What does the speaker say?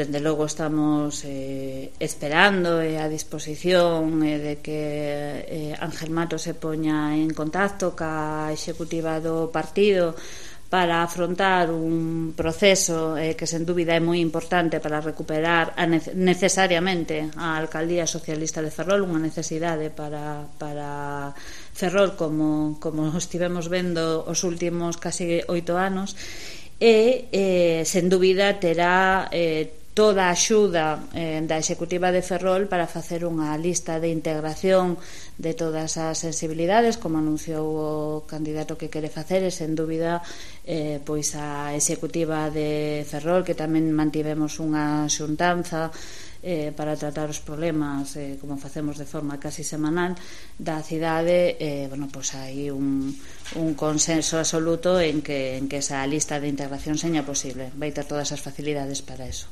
dende logo estamos esperando a disposición de que Ángel Mato se poña en contacto ca executiva do partido para afrontar un proceso que sen dúbida é moi importante para recuperar necesariamente a alcaldía socialista de Ferrol, unha necesidade para Ferrol como estivemos vendo os últimos casi 8 anos, e sen dúbida terá toda a axuda da executiva de Ferrol para facer unha lista de integración de todas as sensibilidades, como anunciou o candidato que quere facer, e sen dúbida pois a executiva de Ferrol, que tamén mantivemos unha xuntanza para tratar os problemas como facemos de forma casi semanal da cidade. Bueno, pois hai un consenso absoluto en que esa lista de integración seña posible, vai ter todas as facilidades para eso.